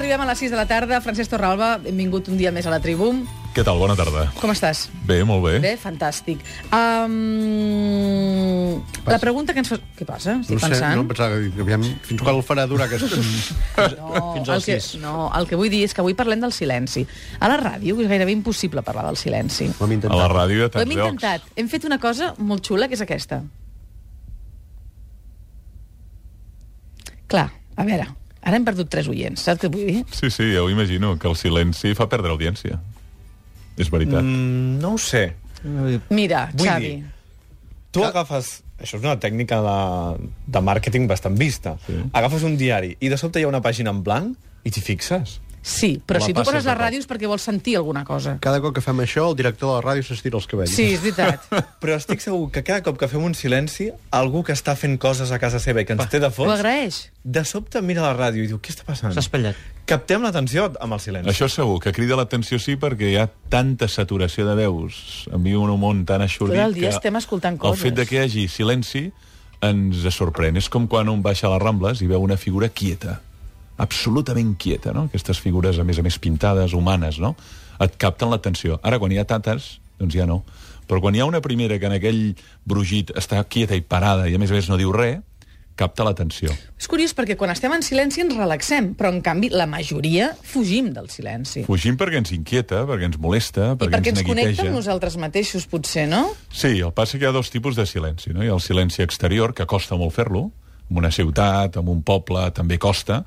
arribem a les 6 de la tarda. Francesc Torralba, benvingut un dia més a la Tribu. Què tal? Bona tarda. Com estàs? Bé, molt bé. Bé, fantàstic. La pregunta que ens fa... Què passa? Estic pensant. No, pensava que aviam, fins quan el farà durar aquest... Fins al 6. No, el que vull dir és que avui parlem del silenci. A la ràdio és gairebé impossible parlar del silenci. Ho hem intentat. A la ràdio de Ho hem tants llocs. intentat. Hem fet una cosa molt xula, que és aquesta. Clar, a veure, ara hem perdut 3 oients, saps què vull dir? Sí, ja ho imagino, que el silenci fa perdre audiència. És veritat. No ho sé. Mira, Vull Xavi... dir, tu agafes... Això és una tècnica de màrqueting bastant vista. Sí. Agafes un diari i de sobte hi ha una pàgina en blanc i t'hi fixes. Sí, però La si tu passes poses de les cop. ràdios perquè vols sentir alguna cosa. Cada cop que fem això, el director de la ràdio s'estira els cabells. Sí, és veritat. Però estic segur que cada cop que fem un silenci, algú que està fent coses a casa seva i que ens té de Ho fons, agraeix. de sobte mira la ràdio i diu, què està passant? S'ha espatllat. Captem l'atenció amb el silenci. Això segur, que crida l'atenció sí, perquè hi ha tanta saturació de veus. Envia un món tan Tot aixorlit el dia estem escoltant coses. el fet de que hi hagi silenci ens sorprèn. És com quan un baixa a les Rambles i veu una figura quieta, absolutament quieta, no? Aquestes figures, a més pintades, humanes, no? Et capten l'atenció. Ara, quan hi ha tantes, doncs ja no. Però quan hi ha una primera que en aquell brugit està quieta i parada i a més no diu res, capta l'atenció. És curiós perquè quan estem en silenci ens relaxem, però en canvi la majoria fugim del silenci. Fugim perquè ens inquieta, perquè ens molesta, I perquè ens connecta neguiteja. amb nosaltres mateixos, potser, no? Sí, el passa que hi ha 2 tipus de silenci, no? Hi ha el silenci exterior, que costa molt fer-lo, en una ciutat, en un poble, també costa,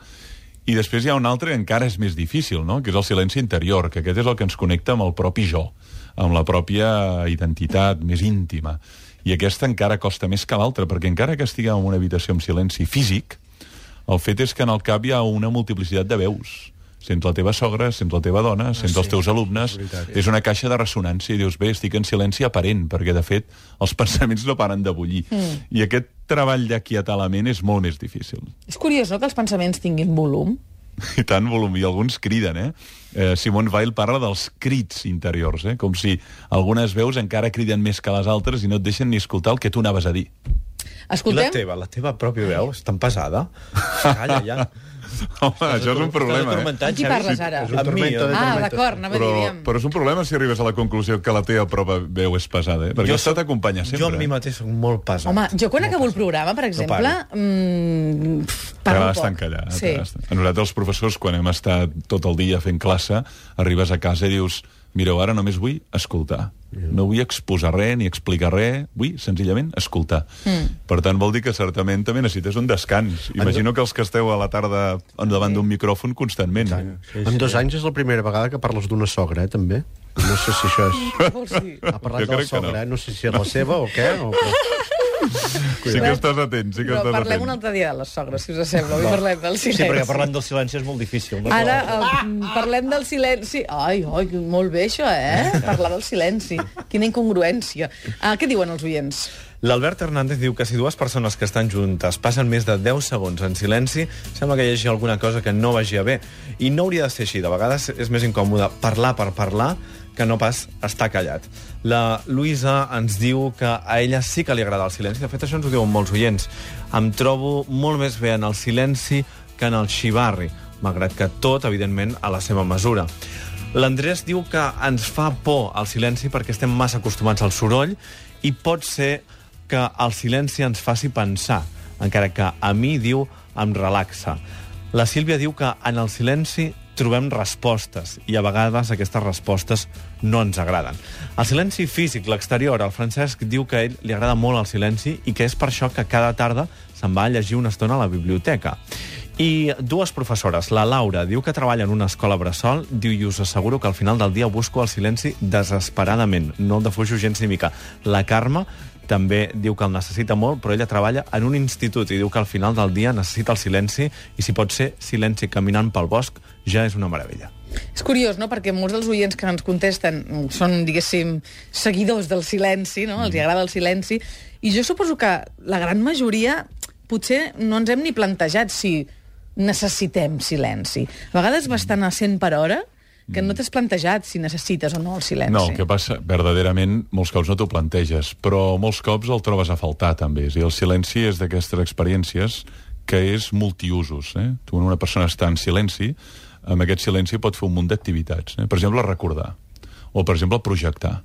i després hi ha un altre que encara és més difícil, no? Que és el silenci interior, que aquest és el que ens connecta amb el propi jo, amb la pròpia identitat més íntima. I aquesta encara costa més que l'altra, perquè encara que estiguem en una habitació amb silenci físic, el fet és que en el cap hi ha una multiplicitat de veus. Sents la teva sogra, sents la teva dona, sents els teus alumnes. És una caixa de ressonància i dius, bé, estic en silenci aparent, perquè, de fet, els pensaments no paren de bullir. I aquest treball d'aquietar la ment és molt més difícil. És curiós, no?, que els pensaments tinguin volum. I tant volum, i alguns criden, Simone Weil parla dels crits interiors, com si algunes veus encara criden més que les altres i no et deixen ni escoltar el que tu anaves a dir. I Escoltem? la teva pròpia veu és tan pesada. Calla, ja. Home, això és un problema, Amb qui parles ara? És un tormento de Ah, tormentes. d'acord, anava a dir, aviam. Però és un problema si arribes a la conclusió que la teva pròpia veu és pesada, perquè això t'acompanya sempre. Jo amb mi mateix soc molt pesat. Home, jo quan acabo el programa, per exemple, parlo T'agrada estar poc. encallat. Sí. A nosaltres, els professors, quan hem estat tot el dia fent classe, arribes a casa i dius, mireu, ara només vull escoltar. No vull exposar res ni explicar res, vull senzillament escoltar. Per tant, vol dir que certament també necessites un descans. Imagino que els que esteu a la tarda davant d'un micròfon constantment. En 2 anys és la primera vegada que parles d'una sogra, també. No sé si això és... Què vols dir? Ha parlat Jo de la crec que sogra, no sé si és la seva o què. Sí que estàs atent, sí que Però estàs parlem atent. un altre dia de les sogres, si us sembla. Avui parlem del silenci. Sí, perquè parlant del silenci és molt difícil. No? Ara parlem del silenci. Ai, molt bé això, Parlar del silenci. Quina incongruència. Què diuen els oients? L'Albert Hernández diu que si 2 persones que estan juntes passen més de 10 segons en silenci, sembla que hi hagi alguna cosa que no vagi bé. I no hauria de ser així. De vegades és més incòmode parlar per parlar que no pas estar callat. La Luisa ens diu que a ella sí que li agrada el silenci. De fet, això ens ho diuen molts oients. Em trobo molt més bé en el silenci que en el xivarri, malgrat que tot, evidentment, a la seva mesura. L'Andrés diu que ens fa por el silenci perquè estem massa acostumats al soroll i pot ser que el silenci ens faci pensar, encara que a mi, diu, em relaxa. La Sílvia diu que en el silenci trobem respostes i a vegades aquestes respostes no ens agraden. El silenci físic, l'exterior, el Francesc diu que a ell li agrada molt el silenci i que és per això que cada tarda se'n va a llegir una estona a la biblioteca. I 2 professores, la Laura diu que treballa en una escola bressol, diu, i us asseguro que al final del dia busco el silenci desesperadament, no el defujo gens ni mica. La Carme també diu que el necessita molt, però ella treballa en un institut i diu que al final del dia necessita el silenci i si pot ser silenci caminant pel bosc ja és una meravella. És curiós, no?, perquè molts dels oients que ens contesten són, diguéssim, seguidors del silenci, no?, els agrada el silenci, i jo suposo que la gran majoria potser no ens hem ni plantejat si necessitem silenci. A vegades bastant a 100 per hora, que no t'has plantejat si necessites o no el silenci. No, el que passa, verdaderament, molts cops no t'ho planteges, però molts cops el trobes a faltar, també. És a dir, el silenci és d'aquestes experiències que és multiusos. Tu, quan una persona està en silenci, amb aquest silenci pot fer un munt d'activitats. Per exemple, recordar, o per exemple, projectar,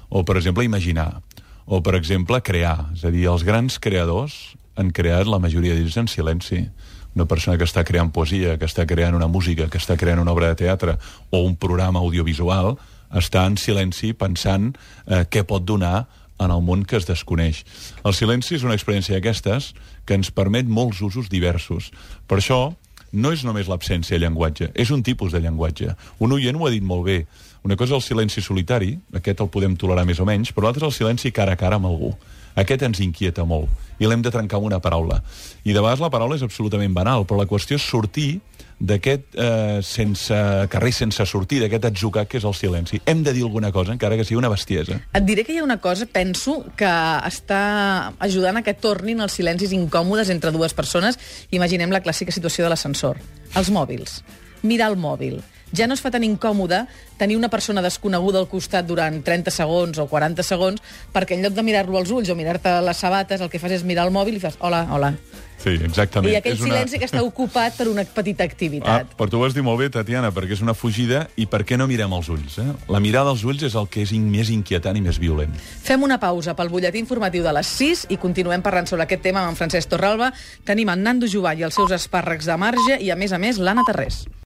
o per exemple, imaginar, o per exemple, crear. És a dir, els grans creadors han creat la majoria d'ells en silenci. Una persona que està creant poesia, que està creant una música, que està creant una obra de teatre o un programa audiovisual, està en silenci pensant què pot donar en el món que es desconeix. El silenci és una experiència d'aquestes que ens permet molts usos diversos. Per això, no és només l'absència de llenguatge, és un tipus de llenguatge. Un oient ho ha dit molt bé. Una cosa és el silenci solitari, aquest el podem tolerar més o menys, però l'altre és el silenci cara a cara amb algú. Aquest ens inquieta molt i l'hem de trencar amb una paraula. I de vegades la paraula és absolutament banal, però la qüestió és sortir d'aquest carrer sense sortir, d'aquest atzucac que és el silenci. Hem de dir alguna cosa, encara que sigui una bestiesa. Et diré que hi ha una cosa, penso, que està ajudant a que tornin els silencis incòmodes entre dues persones. Imaginem la clàssica situació de l'ascensor. Els mòbils. Mirar el mòbil. Ja no es fa tan incòmode tenir una persona desconeguda al costat durant 30 segons o 40 segons, perquè en lloc de mirar-lo als ulls o mirar-te les sabates, el que fas és mirar el mòbil i fas hola, hola. Sí, exactament. I aquell silenci que està ocupat per una petita activitat. Però tu ho has dit molt bé, Tatiana, perquè és una fugida i per què no mirem els ulls? La mirada als ulls és el que és més inquietant i més violent. Fem una pausa pel butlletí informatiu de les 6 i continuem parlant sobre aquest tema amb en Francesc Torralba. Tenim en Nando Jovà i els seus espàrrecs de marge i, a més, l'Anna Tarrés.